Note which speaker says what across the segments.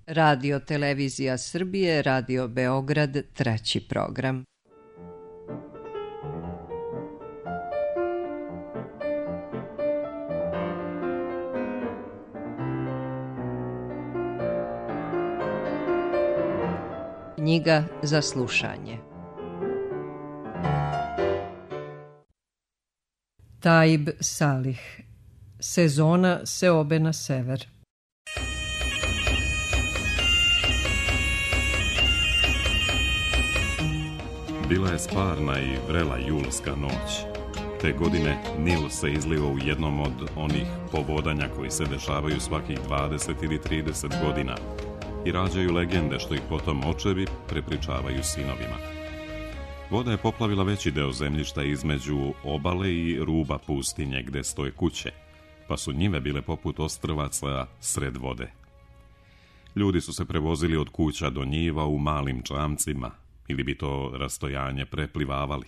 Speaker 1: Radio Televizija Srbije, Radio Beograd, 3. program. Knjiga za slušanje. Taib Salih. Sezona seobe na sever.
Speaker 2: Bila je stvarna i vrela julska noć. Te godine Nil se izliva u jednom od onih povodanja koji se dešavaju svakih 20 ili 30 godina i rađaju legende što ih potom očevi prepričavaju sinovima. Voda je poplavila veći deo zemljišta između obale i ruba pustinje gde stoje kuće, pa su njive bile poput ostrvaca sred vode. Ljudi su se prevozili od kuća do njiva u malim čamcima, ili bi to rastojanje preplivavali.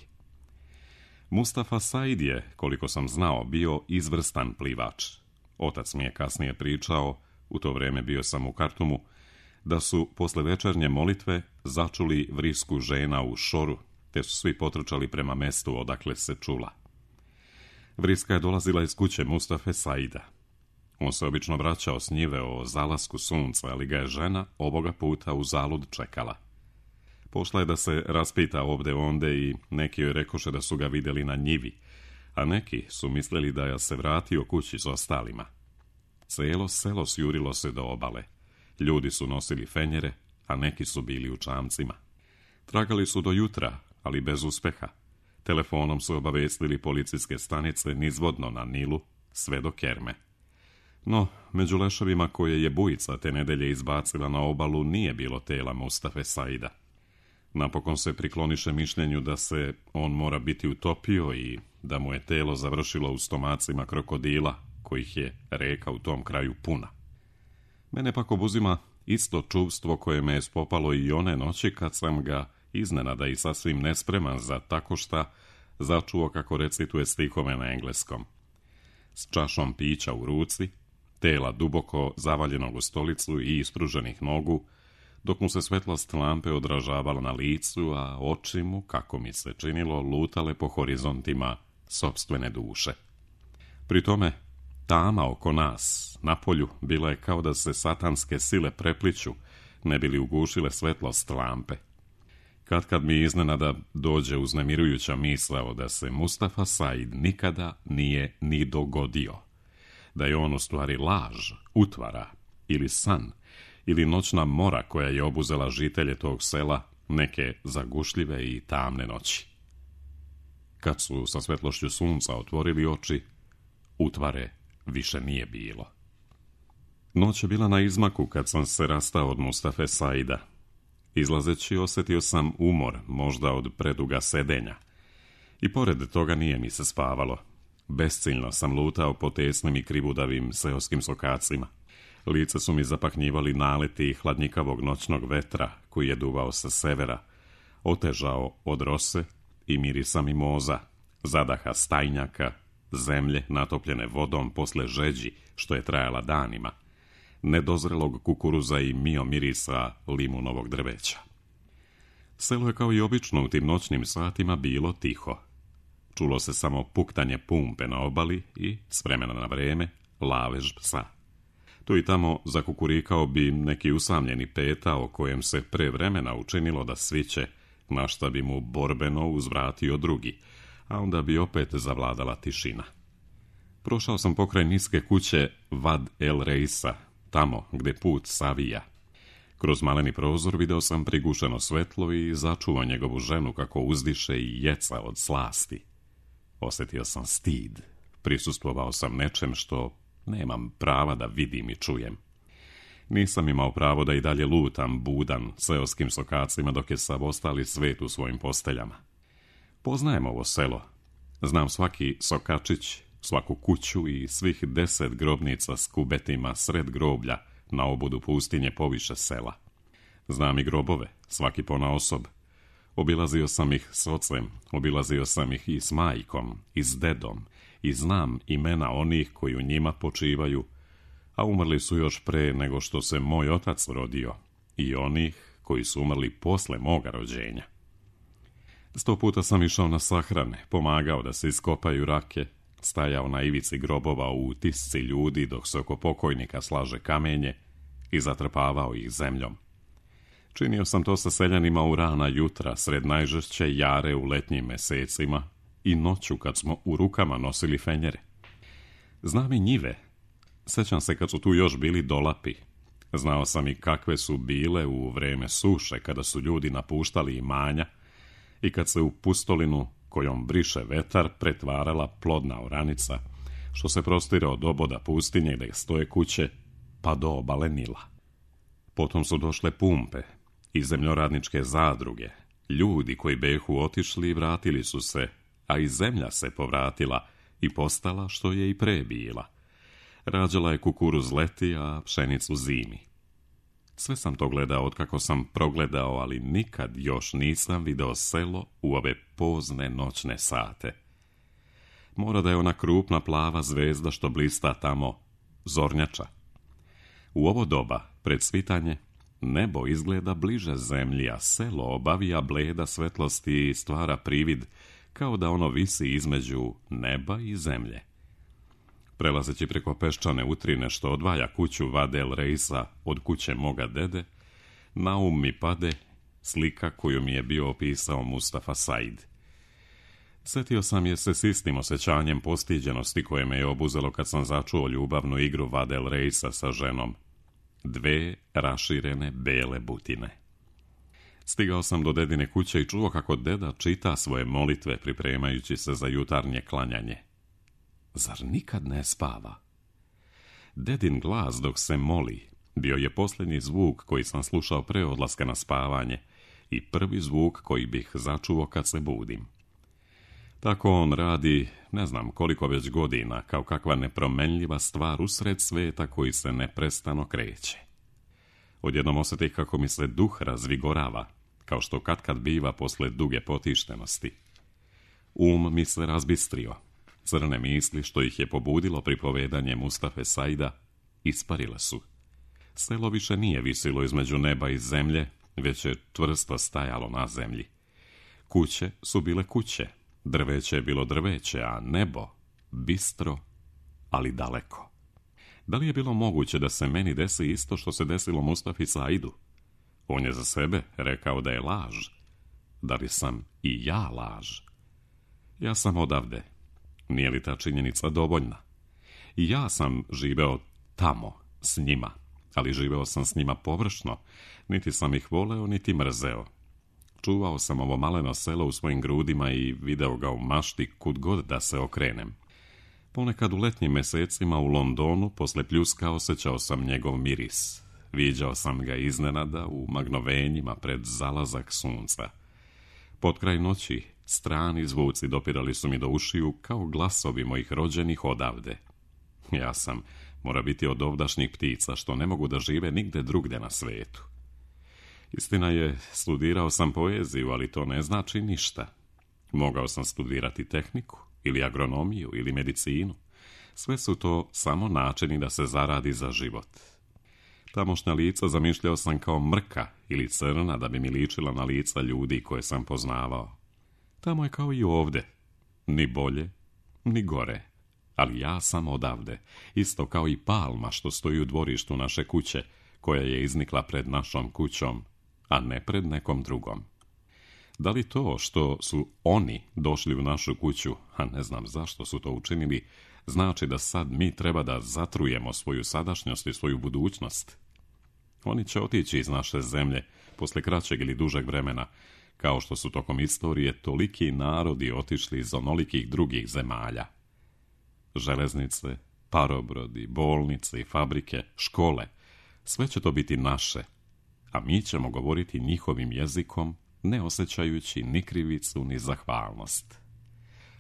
Speaker 2: Mustafa Said je, koliko sam znao, bio izvrstan plivač. Otac mi je kasnije pričao, u to vreme bio sam u Kartumu, da su posle večernje molitve začuli vrisku žena u šoru, te su svi potrčali prema mestu odakle se čula. Vriska je dolazila iz kuće Mustafe Saida. On se obično vraćao s njive o zalasku sunca, ali ga je žena ovoga puta u zalud čekala. Pošla je da se raspita ovde onde i neki joj rekoše da su ga vidjeli na njivi, a neki su mislili da je se vratio kući s ostalima. Celo selo sjurilo se do obale. Ljudi su nosili fenjere, a neki su bili u čamcima. Tragali su do jutra, ali bez uspeha. Telefonom su obavestili policijske stanice nizvodno na Nilu, sve do Kerme. No, među leševima koje je bujica te nedelje izbacila na obalu nije bilo tela Mustafe Saida. Napokon se prikloniše mišljenju da se on mora biti utopio i da mu je telo završilo u stomacima krokodila, kojih je reka u tom kraju puna. Mene pak obuzima isto čuvstvo koje me je spopalo i one noći kad sam ga iznenada i sasvim nespreman za tako šta začuo kako recituje stihove na engleskom. S čašom pića u ruci, tela duboko zavaljenog u stolicu i ispruženih nogu, dok mu se svetlost lampe odražavala na licu, a oči mu, kako mi se činilo, lutale po horizontima sopstvene duše. Pri tome, tama oko nas, na polju, bila je kao da se satanske sile prepliću, ne bili ugušile svetlost lampe. Kad mi iznenada dođe uznemirujuća misao da se Mustafa Said nikada nije ni dogodio, da je on u stvari laž, utvara ili san, ili noćna mora koja je obuzela žitelje tog sela neke zagušljive i tamne noći. Kad su sa svetlošću sunca otvorili oči, utvare više nije bilo. Noć je bila na izmaku kad sam se rastao od Mustafe Saida. Izlazeći osjetio sam umor, možda od preduga sedenja. I pored toga nije mi se spavalo. Besciljno sam lutao po tesnim i krivudavim seoskim sokacima. Lice su mi zapahnjivali naleti hladnjikavog noćnog vetra koji je duvao sa severa, otežao od rose i mirisa mimoza, zadaha stajnjaka, zemlje natopljene vodom posle žeđi što je trajala danima, nedozrelog kukuruza i mio mirisa limunovog drveća. Selo je kao i obično u tim noćnim satima bilo tiho. Čulo se samo puktanje pumpe na obali i, s vremena na vreme, lavež psa. Tu i tamo zakukurikao bi neki usamljeni peta o kojem se pre vremena učinilo da sviće, na šta bi mu borbeno uzvratio drugi, a onda bi opet zavladala tišina. Prošao sam pokraj niske kuće Vad el Reisa, tamo gde put savija. Kroz maleni prozor video sam prigušeno svetlo i začuo njegovu ženu kako uzdiše i jeca od slasti. Osjetio sam stid, prisustvovao sam nečem što nemam prava da vidim i čujem. Nisam imao pravo da i dalje lutam budan seoskim sokacima dok je sav ostali svet u svojim posteljama. Poznajem ovo selo. Znam svaki sokačić, svaku kuću i svih 10 grobnica s kubetima sred groblja na obudu pustinje poviše sela. Znam i grobove, svaki ponaosob. Obilazio sam ih s ocem, obilazio sam ih i s majkom, i s dedom, i znam imena onih koji u njima počivaju, a umrli su još pre nego što se moj otac rodio i onih koji su umrli posle moga rođenja. 100 puta sam išao na sahrane, pomagao da se iskopaju rake, stajao na ivici grobova u utisci ljudi dok se oko pokojnika slaže kamenje i zatrpavao ih zemljom. Činio sam to sa seljanima u rana jutra, sred najžešće jare u letnjim mesecima i noću kad smo u rukama nosili fenjere. Znam i njive. Sećam se kad su tu još bili dolapi. Znao sam i kakve su bile u vreme suše, kada su ljudi napuštali imanja i kad se u pustolinu kojom briše vetar pretvarala plodna oranica, što se prostire od oboda pustinje gdje stoje kuće, pa do obale Nila. Potom su došle pumpe i zemljoradničke zadruge, ljudi koji behu otišli i vratili su se, a i zemlja se povratila i postala što je i pre bila. Rađala je kukuruz leti, a pšenicu zimi. Sve sam to gledao otkako sam progledao, ali nikad još nisam video selo u ove pozne noćne sate. Mora da je ona krupna plava zvezda što blista tamo zornjača. U ovo doba, pred svitanje, nebo izgleda bliže zemlji, a selo obavija bleda svetlosti i stvara privid kao da ono visi između neba i zemlje. Prelazeći preko peščane utrine što odvaja kuću Vadel Reisa od kuće moga dede, na um mi pade slika koju mi je bio opisao Mustafa Said. Sjetio sam je se s istim osjećanjem postiđenosti koje me je obuzelo kad sam začuo ljubavnu igru Vadel Reisa sa ženom. 2 raširene bele butine. Stigao sam do dedine kuće i čuo kako deda čita svoje molitve pripremajući se za jutarnje klanjanje. Zar nikad ne spava? Dedin glas dok se moli bio je posljednji zvuk koji sam slušao pre odlaska na spavanje i prvi zvuk koji bih začuo kad se budim. Tako on radi, ne znam koliko već godina, kao kakva nepromenljiva stvar usred sveta koji se neprestano kreće. Odjednom osjetih kako mi se duh razvigorava, kao što katkad biva posle duge potištenosti. Mi se razbistrio. Crne misli što ih je pobudilo pripovedanje Mustafe Saida isparile su. Selo više nije visilo između neba i zemlje, već je čvrsto stajalo na zemlji. Kuće su bile kuće, drveće je bilo drveće, a nebo bistro, ali daleko. Da li je bilo moguće da se meni desi isto što se desilo Mustafi Saidu? On je za sebe rekao da je laž. Da li sam i ja laž? Ja sam odavde. Nije li ta činjenica dovoljna? I ja sam živeo tamo, s njima, ali živeo sam s njima površno, niti sam ih voleo, niti mrzeo. Čuvao sam ovo maleno selo u svojim grudima i video ga u mašti kud god da se okrenem. Ponekad u letnjim mesecima u Londonu, posle pljuska, osjećao sam njegov miris. Viđao sam ga iznenada u magnovenjima pred zalazak sunca. Potkraj noći strani zvuci dopirali su mi do ušiju kao glasovi mojih rođenih odavde. Ja sam, mora biti od ovdašnjih ptica što ne mogu da žive nigde drugde na svetu. Istina je, studirao sam poeziju, ali to ne znači ništa. Mogao sam studirati tehniku, ili agronomiju, ili medicinu. Sve su to samo načini da se zaradi za život. Tamošnja lica zamišljao sam kao mrka ili crna da bi mi ličila na lica ljudi koje sam poznavao. Tamo je kao i ovde. Ni bolje, ni gore. Ali ja sam odavde, isto kao i palma što stoji u dvorištu naše kuće, koja je iznikla pred našom kućom, a ne pred nekom drugom. Da li to što su oni došli u našu kuću, a ne znam zašto su to učinili, znači da sad mi treba da zatrujemo svoju sadašnjost i svoju budućnost? Oni će otići iz naše zemlje posle kraćeg ili dužeg vremena, kao što su tokom istorije toliki narodi otišli iz onolikih drugih zemalja. Železnice, parobrodi, bolnice i fabrike, škole, sve će to biti naše, a mi ćemo govoriti njihovim jezikom, ne osjećajući ni krivicu ni zahvalnost.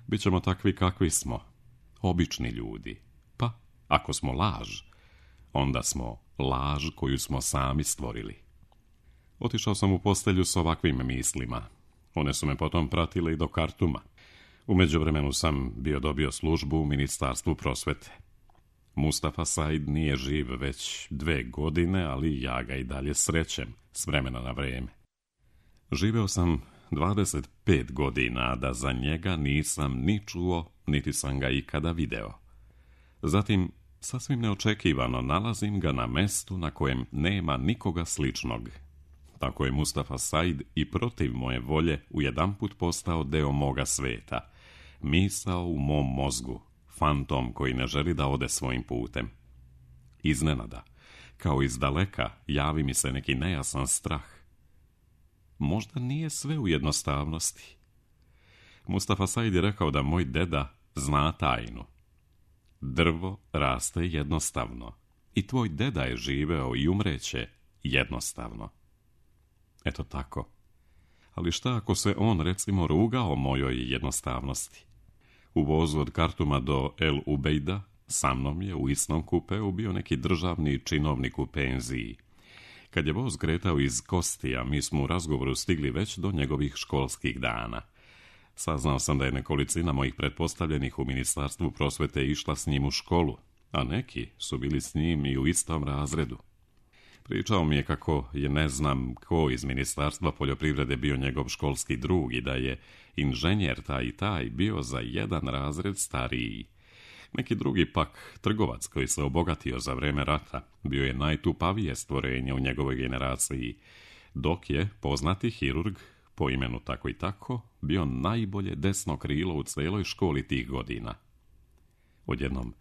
Speaker 2: Bićemo takvi kakvi smo, obični ljudi. Pa, ako smo laž, onda smo laž koju smo sami stvorili. Otišao sam u postelju s ovakvim mislima. One su me potom pratile i do Kartuma. U međuvremenu sam bio dobio službu u Ministarstvu prosvete. Mustafa Said nije živ već 2 godine, ali ja ga i dalje srećem s vremena na vrijeme. Živeo sam 25 godina, da za njega nisam ni čuo, niti sam ga ikada video. Zatim, sasvim neočekivano nalazim ga na mestu na kojem nema nikoga sličnog. Tako je Mustafa Said i protiv moje volje ujedanput postao deo moga sveta, misao u mom mozgu, fantom koji ne želi da ode svojim putem. Iznenada, kao iz daleka, javi mi se neki nejasan strah. Možda nije sve u jednostavnosti. Mustafa Said je rekao da moj deda zna tajnu. Drvo raste jednostavno i tvoj deda je živeo i umreće jednostavno. Eto tako. Ali šta ako se on, recimo, rugao mojoj jednostavnosti? U vozu od Kartuma do El Ubejda sa mnom je u istom kupeu bio neki državni činovnik u penziji. Kad je voz kretao iz Kostija, mi smo u razgovoru stigli već do njegovih školskih dana. Saznao sam da je nekolicina mojih pretpostavljenih u Ministarstvu prosvete išla s njim u školu, a neki su bili s njim i u istom razredu. Pričao mi je kako je ne znam ko iz Ministarstva poljoprivrede bio njegov školski drug i da je inženjer taj i taj bio za 1 razred stariji. Neki drugi pak, trgovac koji se obogatio za vreme rata, bio je najtupavije stvorenje u njegovoj generaciji, dok je poznati hirurg, po imenu tako i tako, bio najbolje desno krilo u celoj školi tih godina. Odjednom,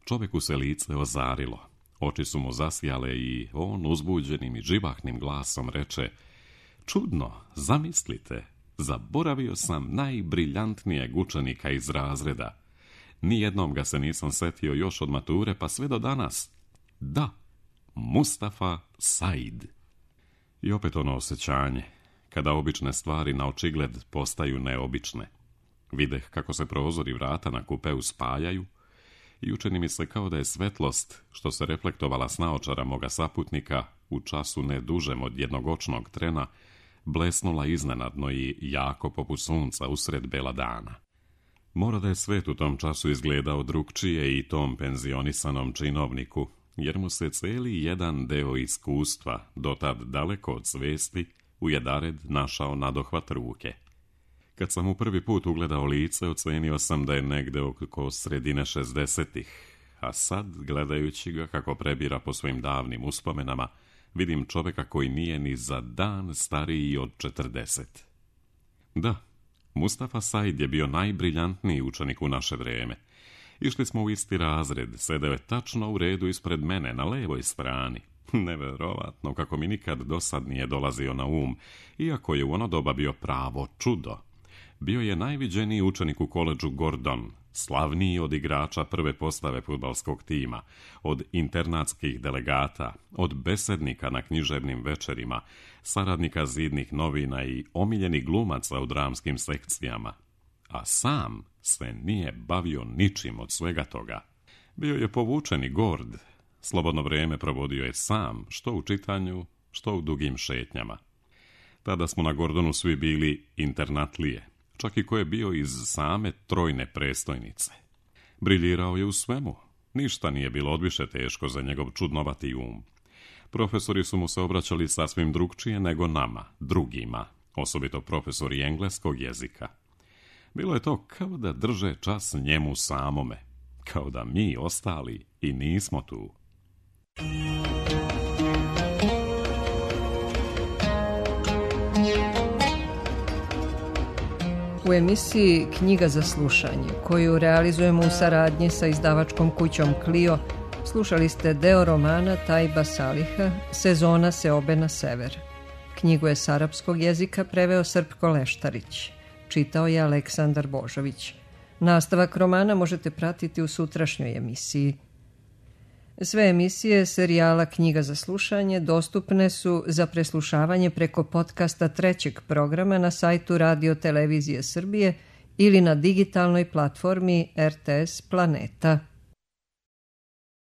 Speaker 2: čovjeku se lice ozarilo, oči su mu zasjale i on uzbuđenim i živahnim glasom reče: čudno, zamislite, zaboravio sam najbriljantnijeg učenika iz razreda. Nijednom ga se nisam setio još od mature pa sve do danas. Da, Mustafa Said. I opet ono osjećanje, kada obične stvari na očigled postaju neobične. Videh kako se prozori vrata na kupeu spajaju i učini mi se kao da je svetlost, što se reflektovala s naočara moga saputnika u času ne dužem od jednog očnog trena, blesnula iznenadno i jako poput sunca usred bela dana. Mora da je svet u tom času izgledao drugčije i tom penzionisanom činovniku, jer mu se cijeli jedan deo iskustva, dotad daleko od svesti, u jedared našao nadohvat ruke. Kad sam mu prvi put ugledao lice, ocenio sam da je negde oko sredine 60-ih, a sad, gledajući ga kako prebira po svojim davnim uspomenama, vidim čovjeka koji nije ni za dan stariji od 40. Da, Mustafa Said je bio najbriljantniji učenik u naše vrijeme. Išli smo u isti razred, sedeo je tačno u redu ispred mene, na levoj strani. Neverovatno kako mi nikad dosad nije dolazio na iako je u ono doba bio pravo čudo. Bio je najviđeniji učenik u koledžu Gordon, slavniji od igrača prve postave fudbalskog tima, od internatskih delegata, od besednika na književnim večerima, saradnika zidnih novina i omiljenih glumaca u dramskim sekcijama. A sam se nije bavio ničim od svega toga. Bio je povučen i gord. Slobodno vrijeme provodio je sam, što u čitanju, što u dugim šetnjama. Tada smo na Gordonu svi bili internatlije, čak i ko je bio iz same trojne prestojnice. Briljirao je u svemu. Ništa nije bilo odviše teško za njegov čudnovati Profesori su mu se obraćali sasvim drugčije nego nama, drugima, osobito profesori engleskog jezika. Bilo je to kao da drže čas njemu samome, kao da mi ostali i nismo tu.
Speaker 1: U emisiji Knjiga za slušanje, koju realizujemo u saradnji sa izdavačkom kućom Clio, slušali ste deo romana Tajba Saliha Sezona seobe na sever. Knjigu je s arapskog jezika preveo Srpko Leštarić. Čitao je Aleksandar Božović. Nastavak romana možete pratiti u sutrašnjoj emisiji. Sve emisije serijala Knjiga za slušanje dostupne su za preslušavanje preko podcasta 3. programa na sajtu Radio Televizije Srbije ili na digitalnoj platformi RTS Planeta.